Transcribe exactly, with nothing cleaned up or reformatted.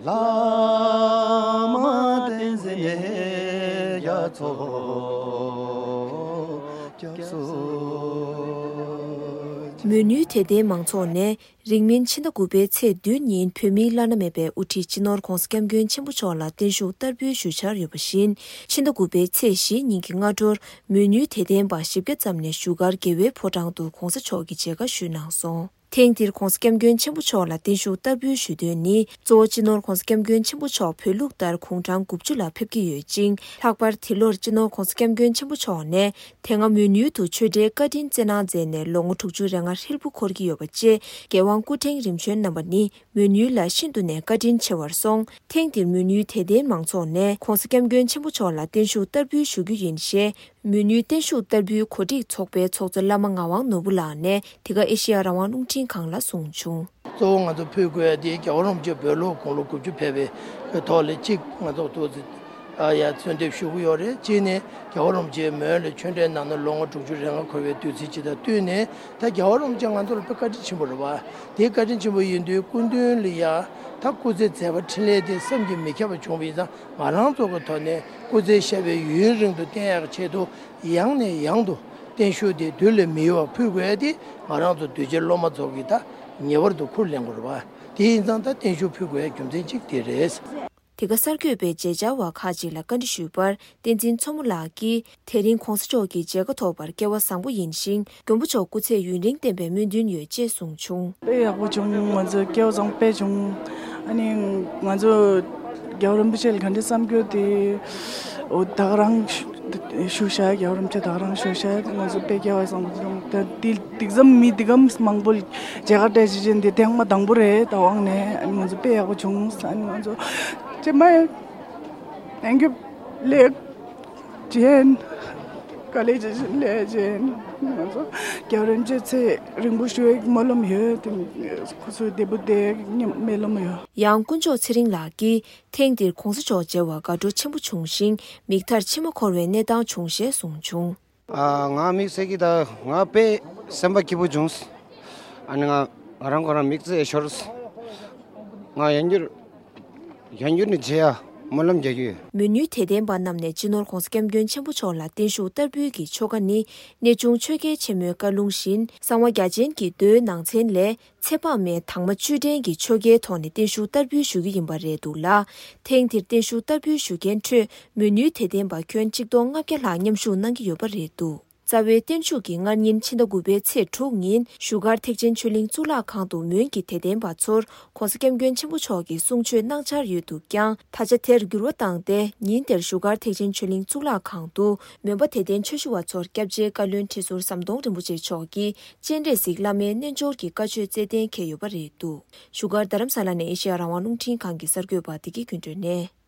བླ་མ་བསྟན་འཛིན་རྒྱ་མཚོ་སྐྱབས་སུ་མཆི། མོས་ནུས་དད་ལྡན་མང་ཚོགས་ནས་རིང་མིན་ཕྱི་ཟླ་དགུ་པའི་ཚེས་བདུན་ཉིན་བོད་མིའི་བླ་ན་མེད་པའི་དབུ་ཁྲིད་སྤྱི་ནོར་༧གོང་ས་༧སྐྱབས་མགོན་ཆེན་པོ་མཆོག་ལ་བརྟན་བཞུགས་བསྟར་འབུལ་ཞུ་འཆར་ཡོད་པ་བཞིན། ཕྱི་ཟླ་དགུ་པའི་ཚེས་བཞི་ཉིན་གྱི་སྔ་དྲོར་མོས་ནུས་དད་ལྡན་པ་བཞི་བརྒྱ་ཙམ་ནས་བཞུགས་སྒར་རྒྱལ་བའི་ཕོ་བྲང་དུ་༧གོང་ས་མཆོག་གི་མཇལ་ཁ་ཞུས་གནང་སོང་། ཐེངས་འདིར་༧གོང་ས་༧སྐྱབས་མགོན་ཆེན་པོ་མཆོག་ལ་བརྟན་བཞུགས་བསྟར་འབུལ་ཞུ་དོན་ནི། གཙོ་བོ་སྤྱི་ནོར་༧གོང་ས་༧སྐྱབས་མགོན་ཆེན་པོ་མཆོག་བོད་ལུགས་ལྟར་དགུང་གྲངས་དགུ་བཅུ་ལ་ཕེབས་ཀྱི་ཡོད་ཅིང་། ལྷག་པར་འདི་ལོར་སྤྱི་ནོར་༧གོང་ས་༧སྐྱབས་མགོན་ཆེན་པོ་མཆོག་ནས་དེ་སྔ་མོས་ནུས་དུ་ཆོས་འབྲེལ་བཀའ་དྲིན་བསྩལ་གནང་མཛད་ནས་ལོ་ངོ་དྲུག་ཅུ་རེ་ལྔ་ཧྲིལ་པོ་འཁོར་གྱི་ཡོད་པ་བཅས། རྒྱལ་དབང་སྐུ་ཕྲེང་རིམ་བྱོན་རྣམ་པ་ནི་མོས་ནུས་ལ་ཤིན་ཏུ་ནས་བཀའ་དྲིན་ཆེ་བར་སོང་། ཐེངས་འདིར་མོས་ནུས་དད་ལྡན་མང་ཚོགས་ནས་༧གོང་ས་༧སྐྱབས་མགོན་ཆེན་པོ་མཆོག་ལ་བརྟན་བཞུགས་བསྟར་འབུལ་ཞུ་རྒྱུ་ཡིན་ཞེས། མོས་ནུས་བརྟན་བཞུགས་བསྟར་འབུལ་གོ་སྒྲིག་ཚོགས་པའི་ཚོགས་གཙོ་བླ་མ་ངག་དབང་ནོར་བུ་ལགས་ནས་འདི་ག་ཨེ་ཤེ་ཡ་རང་དབང་རླུང་འཕྲིན་ཁང་ལ་གསུངས་བྱུང་། གཙོ་བོ་ང་ཚོ་ཕུལ་དགོས་ཡ་དེ་རྒྱལ་བ་རིན་པོ་ཆེ་བོད་ལུགས་དགུང་ལོ་དགུ་བཅུ་ཕེབས་པའི་ཐོག་ལ་གཅིག་ང་ཚོ་ཐུགས་རྗེ་ཆེ་ཡ་གསོལ་འདེབས་ཞུ་གི་ཡོད་རེད། གཅིག་ནས་རྒྱལ་བ་རིན་པོ་ཆེ་མོན་ལ་ཆོས་འབྲེལ་གནང་ནས་ལོ་ངོ་དྲུག་ཅུ་རེ་ལྔ་འཁོར་བའི་དུས་ཚིགས་ཅིག་དང་བསྟུན་ནས། ད་རྒྱལ་བ་རིན་པོ་ཆེ་ང་ཚོ་ལ་དཔེ་བཀའ་དྲིན་ཆེན་པོ་རེད་བ། དེའི་བཀའ་དྲིན་ཆེན་པོ་ཡིན་དུས་སྐུ་མདུན་ལ་ཡ་ད་སྐུ་ཚེ་མཛད་པ་འཕྲིན་ལས་དེ་བསམ་གྱིས་མི་ཁྱབ་པ་བྱུང་བ་ཡིན་ཙང་། ང་རང་ཚོ་གི་ཐོག་ནས་སྐུ་ཚེ་ཞབས་པད་ཡུན་རིང་དུ་བརྟན་ཡག་ཆེད་དུ་ཡང་ནས་ཡང་དུ་བརྟན་བཞུགས་དེ་དུས་ལས་མི་ཡོལ་བ་ཕུལ་དགོས་ཡ་དེ་ང་རང་ཚོ་གདུལ་བྱའི་སློབ་མ་ཚོ་གིས་ད་ངེས་པར་དུ་ཁུར་ལེན་དགོས་རེད་བ། དེ་ཡིན་ཙང་ད་བརྟན་བཞུགས་ཕུལ་དགོས་ཡ་རྒྱུ་མཚན་གཅིག་དེ་རེད། དེ་ག་གསར་འགོད་པས་མཇལ་བཅར་བ་ཁག་ཅིག་ལ་བཀའ་འདྲི་ཞུས་པར། བསྟན་འཛིན་མཚོ་མོ་ལགས་ཀྱིས། དེ་རིང་༧གོང་ས་མཆོག་གི་མཇལ་ཁ་ཐོབ་པར་སྐལ་བ་བཟང་པོ་ཡིན་ཞིང་། མགོན་པོ་མཆོག་སྐུ་ཚེ་ཡུན་རིང་བརྟན་པའི་སྨོན་འདུན་ཡོད་ཅེས་གསུངས་བྱུང་། དཔེ་ཡག་པོ་བྱུང་། ང་ཚོ་སྐལ་བ་བཟང་པོ་དཔེ་བྱུང་། ཨ་ནི་ང་ཚོ་རྒྱལ་བ་རིན་པོ་ཆེ་ལ་ག་འདྲ་བསམ་རྒྱུ་དེ། འོ་ད་ག་རང་བཞུགས་ཤག་རྒྱལ་བ་རིན་པོ་ཆེ་ད་ག་རང་བཞུགས་ཤག་ང་ཚོ་དཔེ་སྐལ་བ་བཟང་པོ་བྱུང་། ད་དེ་དེ་ཙམ་མི་དེ་གམ་མང་པོ་མཇལ་ཁ་སྤྲད་བྱེད་ཅན་དེ་ཐེངས་མ་དང་པོ་རེད། ད་དབང་ནས་ཨ་ནི་ང་ཚོ་དཔེ་ཡག་པོ་བྱུང་། ཨ་ནི་ང་ཚོ་ཅེ་མ། Thank you. ལེགས་ཅན། དཀའ་ལས་ཅི་ཞིག་ལས་ཅན། ང་ཚོ་རྒྱལ་བ་རིན་པོ་ཆེ་ཚེ་རིང་པོ་བཞུགས་སྨོན་ལམ་ཡོད་དེ། ཁོ་ཚོའི་བདེ་པོ་བསྡད་སྨོན་ལམ་ཡོད། ཡང་དཀོན་མཆོག་ཚེ་རིང་ལགས་ཀྱིས་ཐེངས་འདིར་༧གོང་ས་མཆོག་མཇལ་བར་དགའ་སྤྲོ་ཆེན་པོ་བྱུང་ཞིང་། མིག་མཐར་མཆི་མ་འཁོར་བའི་གནས་སྟངས་བྱུང་ཞེས་གསུངས་བྱུང་། ཨ། ང་དམིགས་བསལ་གྱི་ད་ང་དཔེ་སེམས་པ་སྐྱིད་པོ་བྱུང་། ཨ་ནི་ང་ང་རང་ཁོ་རང་དམིགས་བརྩེ་ཤོར། ང་ཡང་བསྐྱར་ཡང་བསྐྱར་ནས་མཇལ་ཡ་སྨོན་ལམ་རྒྱག་གི་ཡོད། མོས་ནུས་དད་ལྡན་པ་རྣམས་ནས་སྤྱི་ནོར་༧གོང་ས་༧སྐྱབས་མགོན་ཆེན་པོ་མཆོག་ལ་བརྟན་བཞུགས་བསྟར་འབུལ་གྱི་ཆོ་ག་ནི། གནས་ཆུང་ཆོས་རྒྱལ་ཆེན་མོའི་བཀའ་ལུང་བཞིན། གསང་བ་རྒྱ་ཆེན་གྱི་མདོའི་ནང་ཚན་ལས། ཚེ་དཔག་མེད་དྭངས་མ་བཅུད་ལྡན་གྱི་ཆོ་གའི་ཐོག་ནས་བརྟན་བཞུགས་བསྟར་འབུལ་ཞུ་རྒྱུ་ཡིན་པ་རེད་འདུག་ལ། ཐེངས་འདིར་བརྟན་བཞུགས་བསྟར་འབུལ་ཞུ་མཁན་ཁྲོད་མོས་ནུས་དད་ལྡན་པ་ཁྱོན་གཅིག་སྟོང་ལྔ་བརྒྱ་ལྷག་མཉམ་ཞུགས་གནང་གི་ཡོད་པ་རེད་འདུག་རྩ་བའི་བརྟན་བཞུགས་ཀྱི་སྔ་ཉིན་ཕྱི་ཟླ་དགུ་པའི་ཚེས་དྲུག་ཉིན་བཞུགས་སྒར་ཐེག་ཆེན་ཆོས་གླིང་གཙུག་ལག་ཁང་དུ་མོན་གྱི་དད་ལྡན་པ་ཚོར་༧གོང་ས་༧སྐྱབས་མགོན་ཆེན་པོ་མཆོག་གིས་གསུང་ཆོས་གནང་འཆར་ཡོད་འདུག་ཀྱང་། ད་ཆ་དེར་འགྱུར་བ་བཏང་སྟེ། ཉིན་དེར་བཞུགས་སྒར་ཐེག་ཆེན་ཆོས་གླིང་གཙུག་ལག་ཁང་དུ་མོན་པ་དད་ལྡན་ཆོས་ཞུ་བ་ཚོར་སྐྱབས་རྗེ་བཀའ་བློན་ཁྲི་ཟུར་ཟམ་གདོང་རིན་པོ་ཆེ་མཆོག་གིས་སྤྱན་རས་གཟིགས་བླ་མའི་རྣལ་འབྱོར་གྱི་བཀའ་ཆོས་སྩལ་གཏན་འཁེལ་ཡོད་པ་རེད་འདུག་བཞུགས་སྒར་རྡ་རམ་ས་ལ་ནས་ཨེ་ཤེ་ཡ་རང་དབང་རླུང་འཕྲིན་ཁང་གི་གསར་འགོད་པ་བདེ་སྐྱིད་ཀུན་སྒྲོན་ནས།